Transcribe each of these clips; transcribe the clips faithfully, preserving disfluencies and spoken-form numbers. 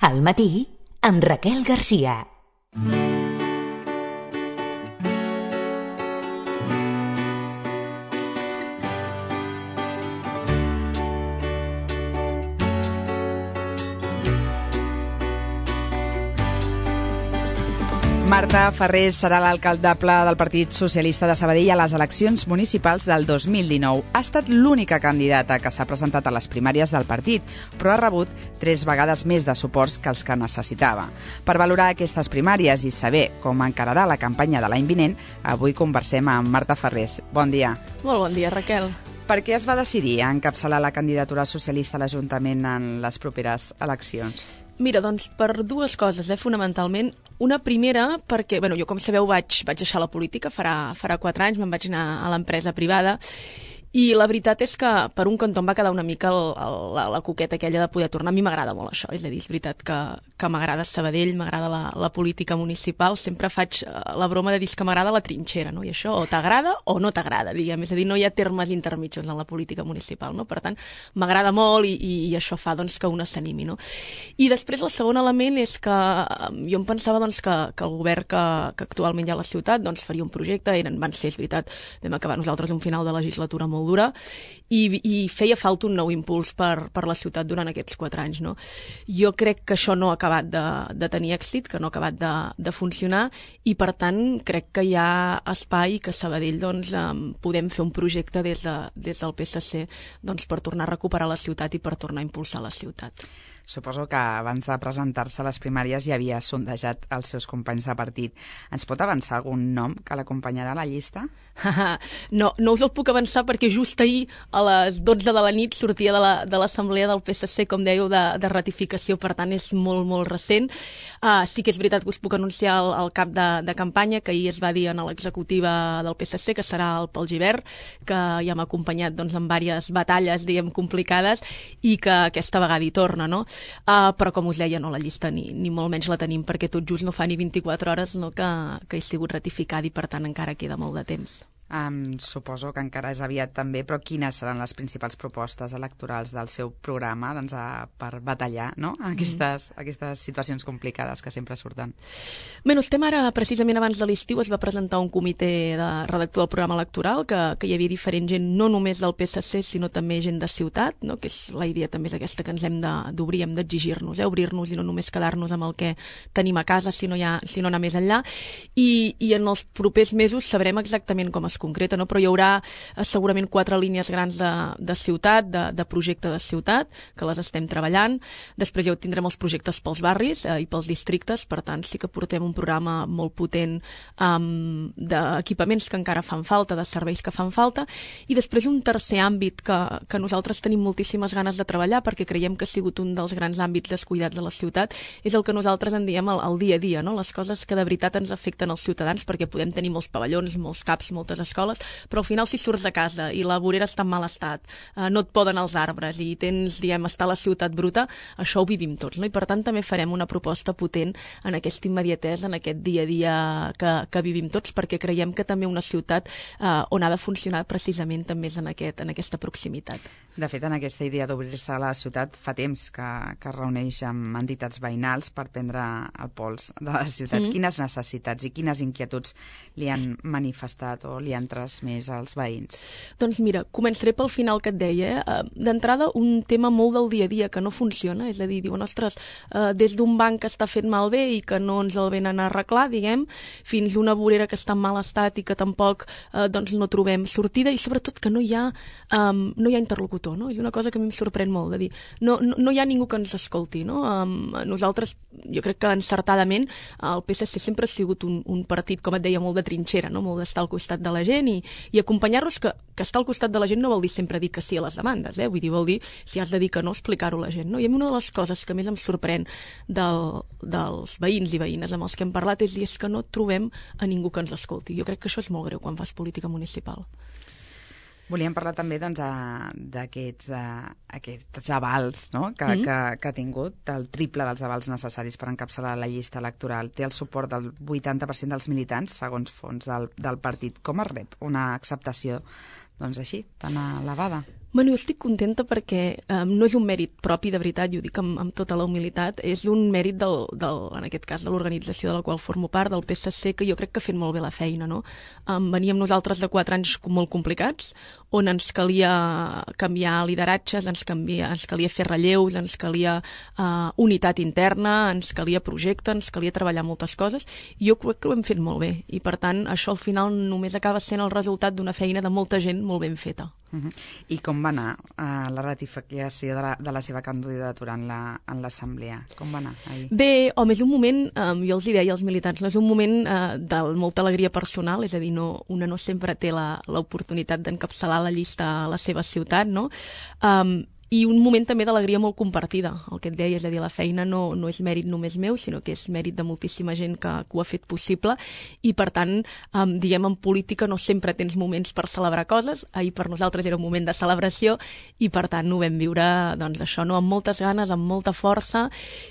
Al matí, amb Raquel Garcia. Marta Farrés serà l'alcaldable del Partit Socialista de Sabadell a les eleccions municipals del dos mil dinou. Ha estat l'única candidata que s'ha presentat a les primàries del partit, però ha rebut tres vegades més de suports que els que necessitava. Per valorar aquestes primàries i saber com encararà la campanya de l'any vinent, avui conversem amb Marta Farrés. Bon dia. Molt bon dia, Raquel. Per què es va decidir a encapçalar la candidatura socialista a l'Ajuntament en les properes eleccions? Mira, doncs per dues coses, eh, fonamentalment. Una primera, perquè, bueno, jo com sabeu vaig, vaig deixar la política farà, farà quatre anys, me'n vaig anar a l'empresa privada, i la veritat és que per un cantó em va quedar una mica el, el, la, la coqueta aquella de poder tornar. A mi m'agrada molt això, és a dir, és veritat que, que m'agrada Sabadell, m'agrada la, la política municipal, sempre faig la broma de dir que m'agrada la trinxera, no? I això o t'agrada o no t'agrada, diguem, és a dir, no hi ha termes intermitjos en la política municipal, no? Per tant, m'agrada molt i, i, i això fa doncs, que una s'animi, no? I després el segon element és que jo em pensava doncs, que, que el govern que, que actualment hi ha a la ciutat doncs, faria un projecte, eren, van ser, és veritat, vam acabar nosaltres un final de legislatura molt dura, i, i feia falta un nou impuls per, per la ciutat durant aquests quatre anys. No? Jo crec que això no ha acabat de, de tenir èxit, que no ha acabat de, de funcionar, i per tant crec que hi ha espai que a Sabadell doncs, um, podem fer un projecte des, de, des del P S C doncs, per tornar a recuperar la ciutat i per tornar a impulsar la ciutat. Suposo que abans de presentar-se a les primàries ja havia sondejat els seus companys de partit. Ens pot avançar algun nom que l'acompanyarà a la llista? no, no us el puc avançar perquè just ahir a les dotze de la nit sortia de l'assemblea de del P S C, com dèieu, de, de ratificació, per tant és molt, molt recent. Uh, sí que és veritat que us puc anunciar el, el cap de, de campanya, que ahir es va dir a l'executiva del P S C, que serà el Pol Gibert, que ja m'ha acompanyat doncs, en diverses batalles, diguem, complicades, i que aquesta vegada hi torna, no? Uh, però com us deia, no, la llista ni, ni molt menys la tenim, perquè tot just no fa ni vint-i-quatre hores no, que, que he sigut ratificada i per tant encara queda molt de temps. Um, suposo que encara és aviat també, però quines seran les principals propostes electorals del seu programa doncs, a, per batallar no? aquestes, mm. aquestes situacions complicades que sempre surten? Bé, no, estem ara, precisament abans de l'estiu, es va presentar un comitè de redactor del programa electoral, que, que hi havia diferent gent, no només del P S C, sinó també gent de ciutat, no? Que és la idea també és aquesta que ens hem d'obrir, hem d'exigir-nos, eh? obrir-nos i no només quedar-nos amb el que tenim a casa, sinó, ja, sinó anar més enllà. I, I en els propers mesos sabrem exactament com es concreta, no? Però hi haurà eh, segurament quatre línies grans de, de ciutat, de, de projecte de ciutat, que les estem treballant. Després ja tindrem els projectes pels barris eh, i pels districtes, per tant sí que portem un programa molt potent um, d'equipaments que encara fan falta, de serveis que fan falta, i després un tercer àmbit que, que nosaltres tenim moltíssimes ganes de treballar, perquè creiem que ha sigut un dels grans àmbits descuidats de la ciutat, és el que nosaltres en diem el, el dia a dia, no? Les coses que de veritat ens afecten als ciutadans, perquè podem tenir molts pavellons, molts caps, moltes escoles, però al final si surts de casa i la vorera està en mal estat, eh, no et poden els arbres i tens, diguem, està la ciutat bruta, això ho vivim tots, no? I per tant també farem una proposta potent en aquesta immediatesa, en aquest dia a dia que, que vivim tots, perquè creiem que també una ciutat eh, on ha de funcionar precisament també és en, aquest, en aquesta proximitat. De fet, en aquesta idea d'obrir-se a la ciutat fa temps que, que es reuneix amb entitats veïnals per prendre el pols de la ciutat. Mm. Quines necessitats i quines inquietuds li han manifestat o li han transmès als veïns? Doncs mira, començaré pel final que et deia. Eh? D'entrada, un tema molt del dia a dia que no funciona, és a dir, diuen, ostres, eh, des d'un banc que està fet malbé i que no ens el venen a arreglar, diguem, fins una vorera que està en mal estat i que tampoc eh, doncs no trobem sortida, i sobretot que no hi ha, um, no hi ha interlocutor, no? És una cosa que a mi em sorprèn molt, de dir, no, no, no hi ha ningú que ens escolti, no? Um, nosaltres, jo crec que encertadament, el P S C sempre ha sigut un, un partit, com et deia, molt de trinxera, no? Molt d'estar al costat de la gent i, i acompanyar-los, que, que estar al costat de la gent no vol dir sempre dir que sí a les demandes, eh? Vull dir, vol dir, si has de dir que no, explicar-ho a la gent, no? I a mi una de les coses que més em sorprèn del, dels veïns i veïnes amb els que hem parlat és dir és que no trobem a ningú que ens escolti. Jo crec que això és molt greu quan fas política municipal. Volíem parlar també doncs, d'aquests aquests avals no? que, mm. que, que ha tingut, el triple dels avals necessaris per encapçalar la llista electoral. Té el suport del vuitanta per cent dels militants, segons fons del, del partit. Com es rep una acceptació doncs, així, tan elevada? Bueno, jo estic contenta perquè um, no és un mèrit propi, de veritat, i ho dic amb, amb tota la humilitat, és un mèrit, del, del, en aquest cas, de l'organització de la qual formo part, del P S C, que jo crec que ha fet molt bé la feina, no? Um, veníem nosaltres de quatre anys molt complicats, on ens calia canviar lideratges, ens, canvia, ens calia fer relleus, ens calia uh, unitat interna, ens calia projecte, ens calia treballar moltes coses, i jo crec que ho hem fet molt bé, i per tant això al final només acaba sent el resultat d'una feina de molta gent molt ben feta. Uh-huh. I com va anar uh, la ratificació de la, de la seva candidatura en l'assemblea? La, com va anar ahir? Bé, home, és un moment, um, jo els hi deia als militants, no és un moment uh, de molta alegria personal, és a dir, no, una no sempre té l'oportunitat d'encapçalar la llista a la seva ciutat, no? Um, i un moment també d'alegria molt compartida, el que et deia, és a dir, la feina no, no és mèrit només meu, sinó que és mèrit de moltíssima gent que, que ho ha fet possible, i per tant, um, diguem, en política no sempre tens moments per celebrar coses, ahir per nosaltres era un moment de celebració, i per tant ho vam viure, doncs això, no? Amb moltes ganes, amb molta força,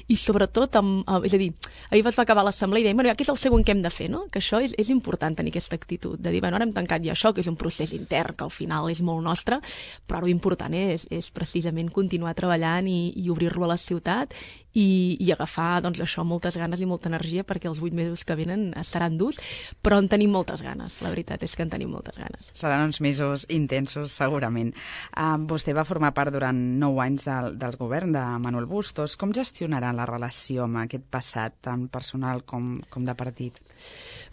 i sobretot, amb, uh, és a dir, ahir es va acabar l'assemblea i dèiem, bueno, ja, què és el següent que hem de fer, no? Que això és, és important tenir aquesta actitud, de dir, bueno, ara hem tancat ja això, que és un procés intern, que al final és molt nostre, però l'important és, és precisament continuar treballant i, i obrir-lo a la ciutat i, i agafar, doncs, això, moltes ganes i molta energia, perquè els vuit mesos que venen seran durs, però en tenim moltes ganes, la veritat és que en tenim moltes ganes. Seran uns mesos intensos, segurament. Uh, vostè va formar part durant nou anys del, del govern de Manuel Bustos. Com gestionarà la relació amb aquest passat, tant personal com, com de partit?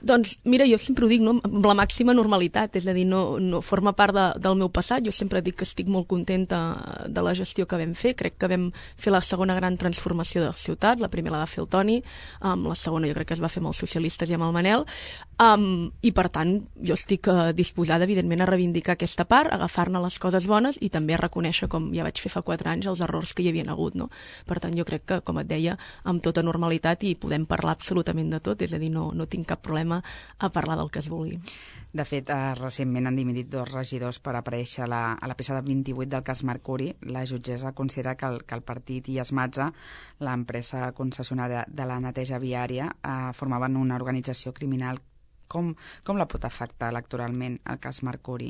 Doncs, mira, jo sempre ho dic, no? Amb la màxima normalitat, és a dir, no, no forma part de, del meu passat. Jo sempre dic que estic molt contenta de la gestió que vam fer. Crec que vam fer la segona gran transformació de la ciutat. La primera la va fer el Toni, um, la segona jo crec que es va fer amb els socialistes i amb el Manel, um, i per tant jo estic uh, disposada, evidentment, a reivindicar aquesta part, a agafar-ne les coses bones i també a reconèixer, com ja vaig fer fa quatre anys, els errors que hi havien hagut, no? Per tant, jo crec que, com et deia, amb tota normalitat, i podem parlar absolutament de tot, és a dir, no, no tinc cap problema a parlar del que es vulgui. De fet, eh, recentment han dimitit dos regidors per aparèixer a la, a la peça de vint-i-vuit del cas Mercuri. La jutgessa considera que el, que el partit i Esmatza, l'empresa concessionària de la neteja viària, eh, formaven una organització criminal. Com, com la pot afectar electoralment el cas Mercuri?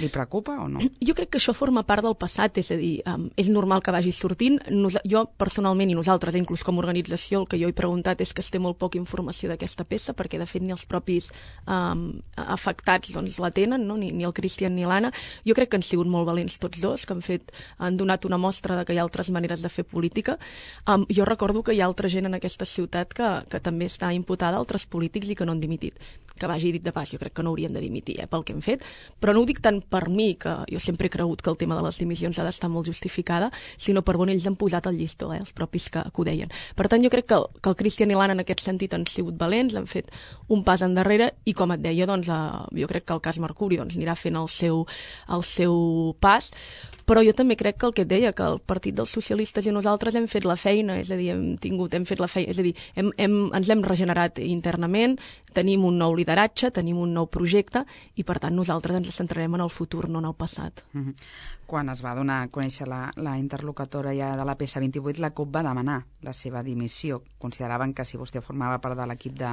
Li preocupa o no? Jo crec que això forma part del passat, és a dir, um, és normal que vagi sortint. Nos, jo, personalment, i nosaltres, inclús com a organització, el que jo he preguntat és que es té molt poca informació d'aquesta peça, perquè, de fet, ni els propis um, afectats doncs, la tenen, no? ni, ni el Cristian ni l'Anna. Jo crec que han sigut molt valents tots dos, que han, fet, han donat una mostra de que hi ha altres maneres de fer política. Um, jo recordo que hi ha altra gent en aquesta ciutat que, que també està imputada a altres polítics i que no han dimitit. Que vagi dit de pas, jo crec que no haurien de dimitir eh, pel que hem fet, però no ho dic tant per mi, que jo sempre he cregut que el tema de les dimissions ha d'estar molt justificada, sinó per on ells han posat el llistó, eh, els propis que, que ho deien. Per tant, jo crec que el, que el Cristian i l'Anna en aquest sentit han sigut valents, han fet un pas endarrere, i com et deia, doncs, eh, jo crec que el cas Mercuri doncs, anirà fent el seu, el seu pas, però jo també crec que el que et deia, que el Partit dels Socialistes i nosaltres hem fet la feina, és a dir, hem tingut, hem fet la feina, és a dir, hem, hem, ens hem regenerat internament, tenim un nou lideratge, tenim un nou projecte, i per tant nosaltres ens centrarem en el futur, no en el passat. Mm-hmm. Quan es va donar a conèixer la, la interlocutora ja de la peça vint-i-vuit, la CUP va demanar la seva dimissió. Consideraven que si vostè formava part de l'equip de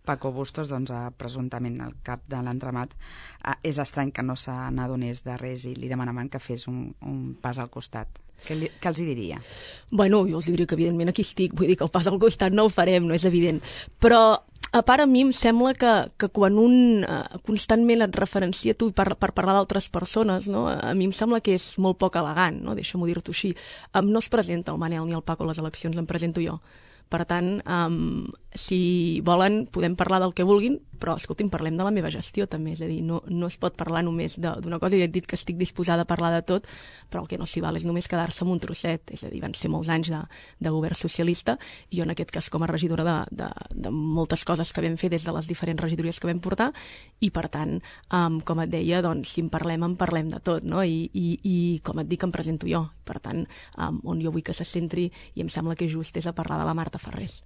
Paco Bustos, doncs eh, presumptament el cap de l'entramat, eh, és estrany que no se n'adonés de res i li demanaven que fes un, un pas al costat. Què, li, què els hi diria? Bueno, jo els diria que evidentment aquí estic, vull dir que el pas al costat no ho farem, no és evident, però a part, a mi em sembla que, que quan un uh, constantment et referencia tu per, per parlar d'altres persones, no? A mi em sembla que és molt poc elegant, no? Deixa'm-ho dir-t'ho així. Um, no es presenta el Manel ni el Paco a les eleccions, em presento jo. Per tant, um, si volen, podem parlar del que vulguin, però, escolti'm, parlem de la meva gestió, també. És a dir, no, no es pot parlar només d'una cosa. Jo he dit que estic disposada a parlar de tot, però el que no s'hi val és només quedar-se amb un trosset. És a dir, van ser molts anys de, de govern socialista, i jo, en aquest cas, com a regidora de, de, de moltes coses que vam fer des de les diferents regidories que vam portar, i, per tant, um, com et deia, doncs, si en parlem, en parlem de tot, no? I, i, i com et dic, em presento jo. Per tant, um, on jo vull que se centri, i em sembla que just és a parlar de la Marta Ferrés.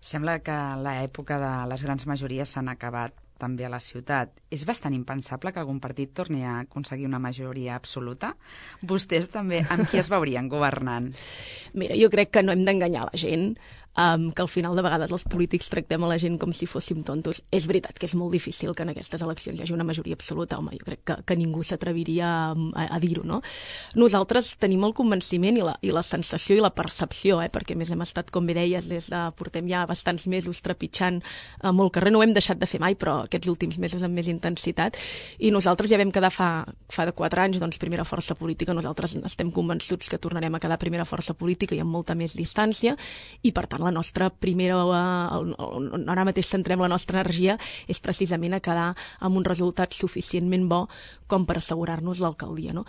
Sembla que l'època de les grans majories s'han acabat també a la ciutat. És bastant impensable que algun partit torni a aconseguir una majoria absoluta? Vostès també amb qui es veurien governant? Mira, jo crec que no hem d'enganyar la gent. um, que al final de vegades els polítics tractem a la gent com si fóssim tontos. És veritat que és molt difícil que en aquestes eleccions hi hagi una majoria absoluta, home, jo crec que, que ningú s'atreviria a, a, a dir-ho, no? Nosaltres tenim el convenciment i la, i la sensació i la percepció, eh, perquè més hem estat, com bé deies, des de, portem ja bastants mesos trepitjant a molt carrer, no ho hem deixat de fer mai, però aquests últims mesos amb més intensitat, i nosaltres ja vam quedar fa, fa de quatre anys, doncs, primera força política. Nosaltres estem convençuts que tornarem a quedar primera força política i amb molta més distància, i per tant la nostra primera, el, el, ara mateix centrem la nostra energia és precisament a quedar amb un resultat suficientment bo com per assegurar-nos l'alcaldia, no?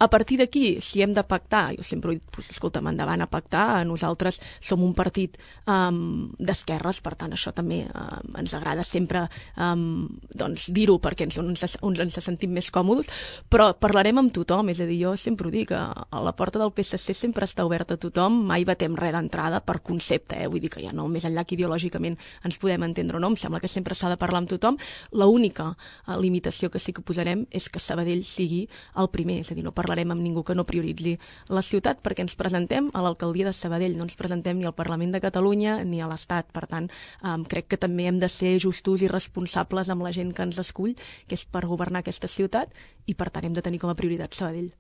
A partir d'aquí, si hem de pactar, jo sempre he dit, pues, escolta'm, endavant a pactar, nosaltres som un partit um, d'esquerres, per tant això també um, ens agrada sempre um, doncs, dir-ho perquè ens, ens, ens sentim més còmodes, però parlarem amb tothom, és a dir, jo sempre ho dic, a, a la porta del P S C sempre està oberta a tothom, mai batem res d'entrada per concepte, eh? Vull dir que ja no, més enllà que ideològicament ens podem entendre o no, em sembla que sempre s'ha de parlar amb tothom. L'única uh, limitació que sí que posarem és que Sabadell sigui el primer, és a dir, no parlarem amb ningú que no prioritzi la ciutat perquè ens presentem a l'alcaldia de Sabadell, no ens presentem ni al Parlament de Catalunya ni a l'Estat, per tant, um, crec que també hem de ser justos i responsables amb la gent que ens escull, que és per governar aquesta ciutat, i per tant hem de tenir com a prioritat Sabadell.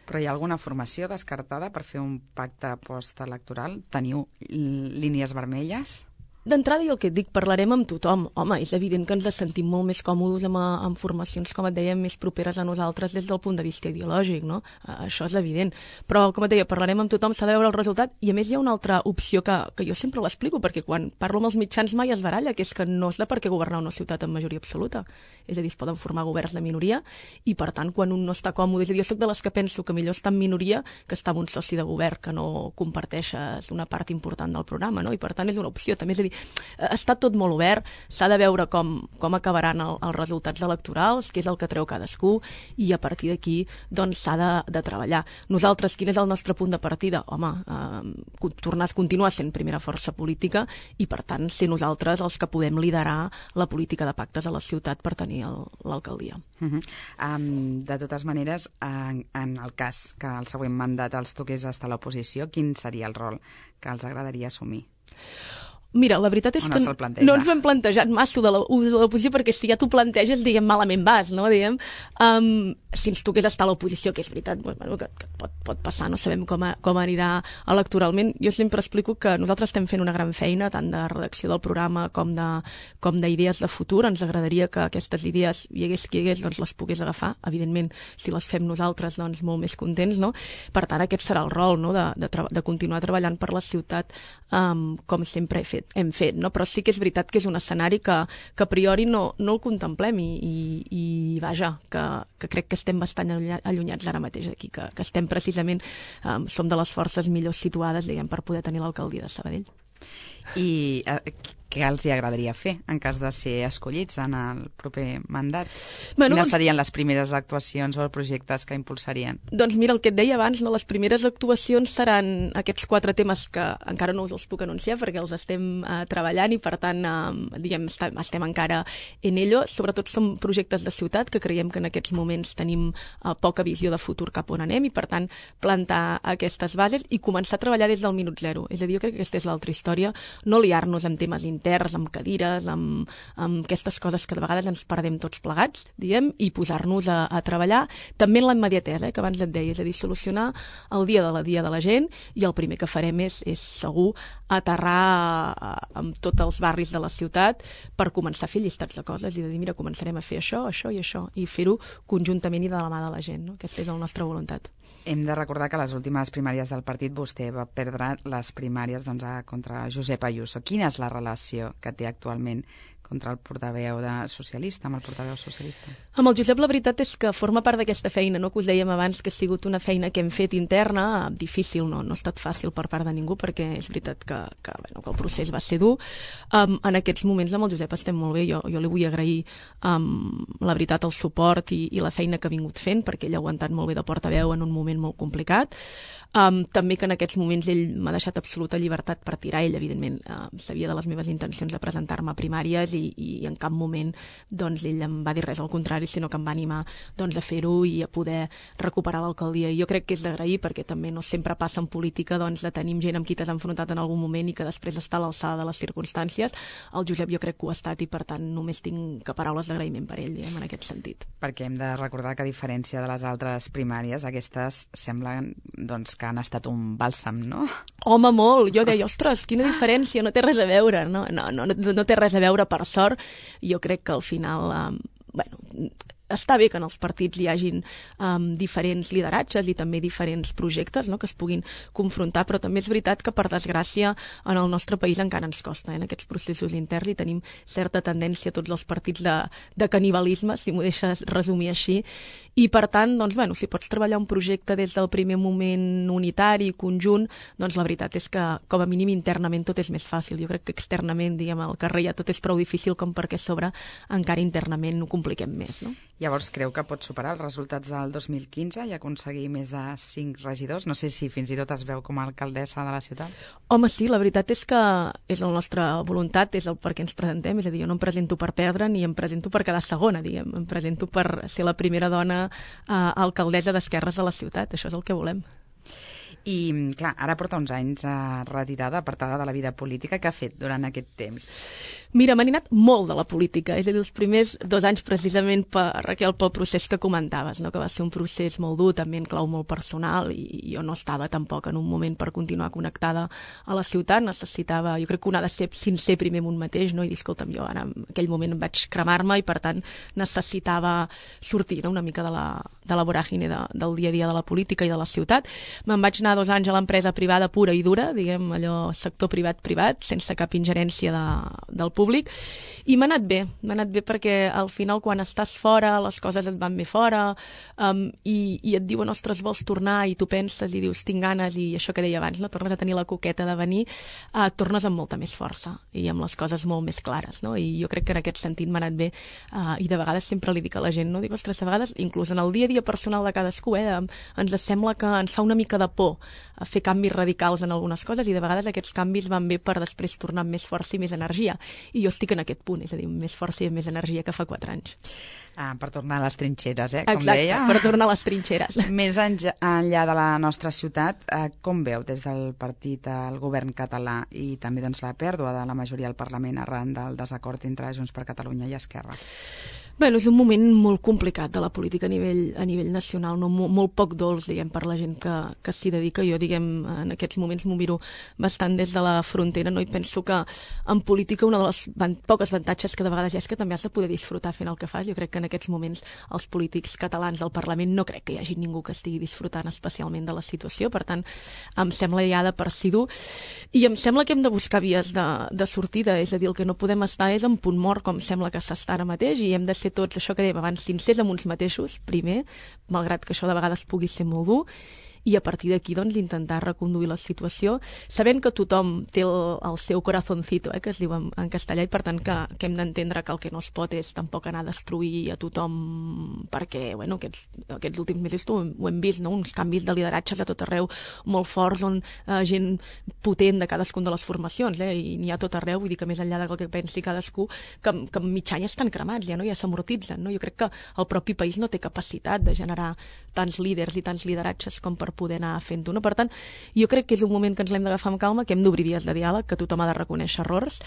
Però hi ha alguna formació descartada per fer un pacte postelectoral? Teniu línies vermelles? D'entrada, i el que et dic, parlarem amb tothom. Home, és evident que ens sentim molt més còmodes amb, amb formacions, com et deia, més properes a nosaltres des del punt de vista ideològic, no? Això és evident. Però, com et deia, parlarem amb tothom, s'ha de veure el resultat, i a més hi ha una altra opció que, que jo sempre l'explico, perquè quan parlo amb els mitjans mai es baralla, que és que no és de per què governar una ciutat amb majoria absoluta. És a dir, es poden formar governs de minoria, i per tant, quan un no està còmode, és a dir, jo soc de les que penso que millor estar en minoria que estar amb un soci de govern que no comparteixes una part important del programa, no? I per tant és una opció. També és a dir, està tot molt obert, s'ha de veure com, com acabaran el, els resultats electorals, què és el que treu cadascú, i a partir d'aquí doncs s'ha de, de treballar. Nosaltres, quin és el nostre punt de partida? Home, eh, tornar a continuar sent primera força política i per tant ser nosaltres els que podem liderar la política de pactes a la ciutat per tenir l'alcaldia. Uh -huh. um, de totes maneres, en, en el cas que el següent mandat els toqués estar a l'oposició, quin seria el rol que els agradaria assumir? Mira, la veritat és no que no ens ho hem plantejat massa de l'oposició, perquè si ja t'ho planteges, diguem, malament vas, no? Diguem, um, si ens toqués estar a l'oposició, que és veritat, bueno, que, que pot, pot passar, no sabem com, a, com anirà electoralment. Jo sempre explico que nosaltres estem fent una gran feina, tant de redacció del programa com de com d'idees de futur. Ens agradaria que aquestes idees, hi hagués qui hi hagués, doncs les pogués agafar. Evidentment, si les fem nosaltres, doncs molt més contents, no? Per tant, aquest serà el rol, no? de, de, de continuar treballant per la ciutat, um, com sempre he fet. hem fet, no? Però sí que és veritat que és un escenari que, que a priori no, no el contemplem i, i, i vaja, que, que crec que estem bastant allunyats ara mateix d'aquí, que, que estem precisament, um, som de les forces millor situades, diguem, per poder tenir l'alcaldia de Sabadell. I eh, què els hi agradaria fer en cas de ser escollits en el proper mandat? Bueno, Quines serien les primeres actuacions o projectes que impulsarien? Doncs mira, el que et deia abans, no? Les primeres actuacions seran aquests quatre temes que encara no us els puc anunciar perquè els estem eh, treballant i per tant eh, diguem, estem, estem encara en ello. Sobretot són projectes de ciutat que creiem que en aquests moments tenim eh, poca visió de futur cap on anem i per tant plantar aquestes bases i començar a treballar des del minut zero. És a dir, jo crec que aquesta és l'altra història, no liar-nos amb temes interns, amb cadires, amb, amb aquestes coses que de vegades ens perdem tots plegats, diguem, i posar-nos a, a treballar també en la immediatesa, eh, que abans et deia, és a dir, solucionar el dia de la dia de la gent i el primer que farem és, és segur aterrar amb tots els barris de la ciutat per començar a fer llistats de coses i de dir, mira, començarem a fer això, això i això, i fer-ho conjuntament i de la mà de la gent, no? Aquesta és la nostra voluntat. Hem de recordar que a les últimes primàries del partit vostè va perdre les primàries doncs, contra Josep Ayuso. Quina és la relació que té actualment contra el portaveu de socialista, amb el portaveu socialista? Amb el Josep la veritat és que forma part d'aquesta feina, no? Que us dèiem abans que ha sigut una feina que hem fet interna, difícil, no, no ha estat fàcil per part de ningú perquè és veritat que, que, bueno, que el procés va ser dur. Um, en aquests moments amb el Josep estem molt bé, jo, jo li vull agrair um, la veritat el suport i, i la feina que ha vingut fent perquè ell ha aguantat molt bé de portaveu en un moment molt complicat. Um, també que en aquests moments ell m'ha deixat absoluta llibertat per tirar. Ell, evidentment, uh, sabia de les meves intencions de presentar-me a primàries i, i, i en cap moment doncs, ell em va dir res al contrari, sinó que em va animar doncs, a fer-ho i a poder recuperar l'alcaldia. I jo crec que és d'agrair, perquè també no sempre passa en política doncs, de tenir gent amb qui t'has enfrontat en algun moment i que després està a l'alçada de les circumstàncies. El Josep jo crec que ho ha estat i per tant només tinc que paraules d'agraïment per ell, diguem, en aquest sentit. Perquè hem de recordar que a diferència de les altres primàries, aquestes semblen doncs, que han estat un bàlsam, no? Home, molt! Jo deia, ostres, quina diferència, no té res a veure. No, no, no, no té res a veure, per sort. Jo crec que al final, eh, bueno, està bé que en els partits hi hagin um, diferents lideratges i també diferents projectes, no?, que es puguin confrontar, però també és veritat que, per desgràcia, en el nostre país encara ens costa, eh, en aquests processos interns, i tenim certa tendència a tots els partits de, de canibalisme, si m'ho deixes resumir així, i per tant, doncs, bueno, si pots treballar un projecte des del primer moment unitari, conjunt, doncs la veritat és que, com a mínim, internament tot és més fàcil. Jo crec que externament, diguem, al carrer ja tot és prou difícil com perquè a sobre encara internament ho compliquem més, no? Llavors, creu que pot superar els resultats del dos mil quinze i aconseguir més de cinc regidors? No sé si fins i tot es veu com a alcaldessa de la ciutat. Home, sí, la veritat és que és la nostra voluntat, és el per què ens presentem, és a dir, jo no em presento per perdre ni em presento per quedar segona, diguem, em presento per ser la primera dona eh, alcaldessa d'esquerres de la ciutat, això és el que volem. I, clar, ara porta uns anys eh, retirada, apartada de la vida política. Què ha fet durant aquest temps? Mira, m'han anat molt de la política, és a dir, els primers dos anys precisament, per, Raquel, pel procés que comentaves, no? Que va ser un procés molt dur, també en clau molt personal, i jo no estava tampoc en un moment per continuar connectada a la ciutat, necessitava, jo crec que un ha de ser sincer primer amb un mateix, no? I dir, escolta'm, jo ara en aquell moment em vaig cremar-me i per tant necessitava sortir, no? Una mica de la, de la voràgine de, del dia a dia de la política i de la ciutat. Me'n vaig anar dos anys a l'empresa privada pura i dura, diguem, allò sector privat-privat, sense cap ingerència de, del públic, i m'ha anat bé, m'ha anat bé perquè al final quan estàs fora, les coses et van bé fora, um, i, i et diuen, ostres, vols tornar, i tu penses i dius, tinc ganes, i això que deia abans, no? Tornes a tenir la coqueta de venir, uh, tornes amb molta més força i amb les coses molt més clares, no? I jo crec que en aquest sentit m'ha anat bé, uh, i de vegades sempre li dic a la gent, no? Dic, ostres, de vegades, inclús en el dia a dia personal de cadascú, eh, ens sembla que ens fa una mica de por a fer canvis radicals en algunes coses, i de vegades aquests canvis van bé per després tornar amb més força i més energia. I jo estic en aquest punt, és a dir, més força i més energia que fa quatre anys. Ah, per tornar a les trinxeres, eh? Com Exacte, deia. per tornar a les trinxeres. Més enllà de la nostra ciutat, eh, com veu des del partit el govern català i també doncs, la pèrdua de la majoria al Parlament arran del desacord entre Junts per Catalunya i Esquerra? Bueno, és un moment molt complicat de la política a nivell, a nivell nacional, no? Molt, molt poc dolç, diguem, per la gent que, que s'hi dedica. Jo, diguem, en aquests moments m'ho miro bastant des de la frontera, no? I penso que en política una de les van, poques avantatges que de vegades hi ha és que també has de poder disfrutar fent el que fas. Jo crec que en aquests moments els polítics catalans del Parlament no crec que hi hagi ningú que estigui disfrutant especialment de la situació, per tant, em sembla ja de per si dur, i em sembla que hem de buscar vies de, de sortida, és a dir, el que no podem estar és en punt mort, com sembla que s'està ara mateix, i hem de ser tots, això que dèiem abans, sincers amb uns mateixos, primer, malgrat que això de vegades pugui ser molt dur, i a partir d'aquí doncs, intentar reconduir la situació, sabent que tothom té el, el seu corazoncito, eh, que es diu en, en castellà, i per tant que, que hem d'entendre que el que no es pot és tampoc anar a destruir a tothom, perquè bueno, aquests, aquests últims mesos ho, ho hem vist, no? Uns canvis de lideratges a tot arreu molt forts, on eh, gent potent de cadascuna de les formacions, eh, i n'hi ha tot arreu, vull dir que més enllà del que pensi cadascú, que, que en mig any estan cremats, ja, no? Ja s'amortitzen, no? Jo crec que el propi país no té capacitat de generar tants líders i tants lideratges com per poder anar fent-ho. No? Per tant, jo crec que és un moment que ens l'hem d'agafar amb calma, que hem d'obrir vies de diàleg, que tothom ha de reconèixer errors,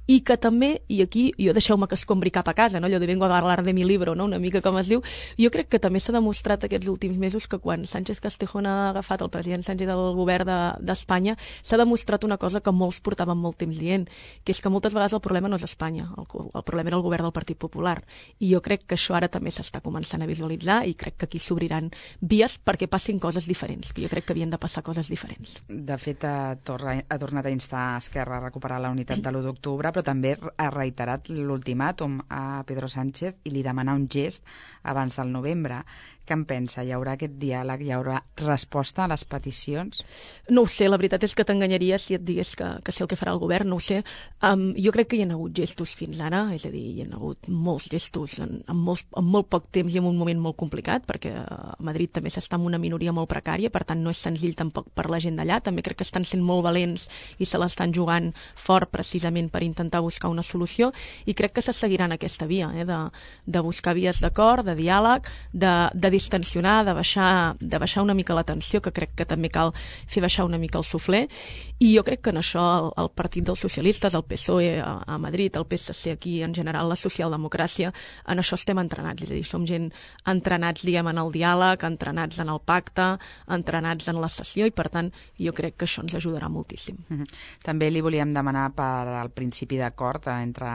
i que també, i aquí, jo deixeu-me que escombri cap a casa, no? Allò de vengo a hablar de mi libro, no? Una mica com es diu, jo crec que també s'ha demostrat aquests últims mesos que quan Sánchez Castejón ha agafat el president Sánchez del govern d'Espanya, de, s'ha demostrat una cosa que molts portaven molt temps dient, que és que moltes vegades el problema no és Espanya, el, el problema era el govern del Partit Popular, i jo crec que això ara també s'està començant a visualitzar, i crec que aquí s'obriran vies perquè passin coses diferents, que jo crec que havien de passar coses diferents. De fet, ha, torna, ha tornat a instar a Esquerra a recuperar la unitat de l'u d'octubre, però també ha reiterat l'ultimàtum a Pedro Sánchez i li demana un gest abans del novembre. Què en pensa? Hi haurà aquest diàleg? Hi haurà resposta a les peticions? No ho sé, la veritat és que t'enganyaria si et digués que, que sé el que farà el govern, no ho sé. Um, jo crec que hi ha hagut gestos fins ara, és a dir, hi ha hagut molts gestos en, en, molts, en molt poc temps i en un moment molt complicat, perquè a Madrid també s'està en una minoria molt precària, per tant no és senzill tampoc per la gent d'allà. També crec que estan sent molt valents i se l'estan jugant fort precisament per intentar buscar una solució, i crec que se seguiran aquesta via, eh, de, de buscar vies d'acord, de diàleg, de, de distensionar, de baixar, de baixar una mica la tensió, que crec que també cal fer baixar una mica el suflé, i jo crec que en això el, el Partit dels Socialistes, el P S O E a, a Madrid, el P S C aquí, en general la socialdemocràcia, en això estem entrenats, és a dir, som gent entrenats, diguem, en el diàleg, entrenats en el pacte, entrenats en la sessió, i per tant jo crec que això ens ajudarà moltíssim. Mm-hmm. També li volíem demanar per al principi d'acord entre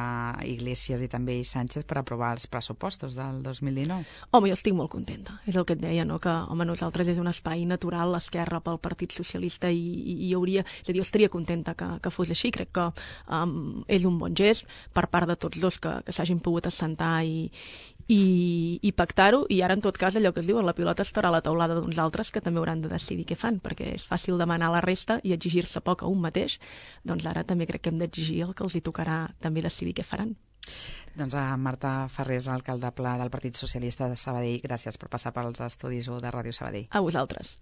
Iglesias i també Sánchez per aprovar els pressupostos del dos mil dinou. Home, jo estic molt contenta, és el que et deia, no? Que home, nosaltres és un espai natural, l'esquerra pel Partit Socialista, i, i, i hauria, és a dir, jo estaria contenta que, que fos així. Crec que um, és un bon gest per part de tots dos que, que s'hagin pogut assentar i, i, i pactar-ho, i ara en tot cas allò que es diu, la pilota estarà a la taulada d'uns altres que també hauran de decidir què fan, perquè és fàcil demanar a la resta i exigir-se poc a un mateix, doncs ara també crec que hem d'exigir el que els hi tocarà també decidir què faran. Doncs a Marta Ferrés, alcaldable del Partit Socialista de Sabadell, gràcies per passar pels estudis de Ràdio Sabadell. A vosaltres.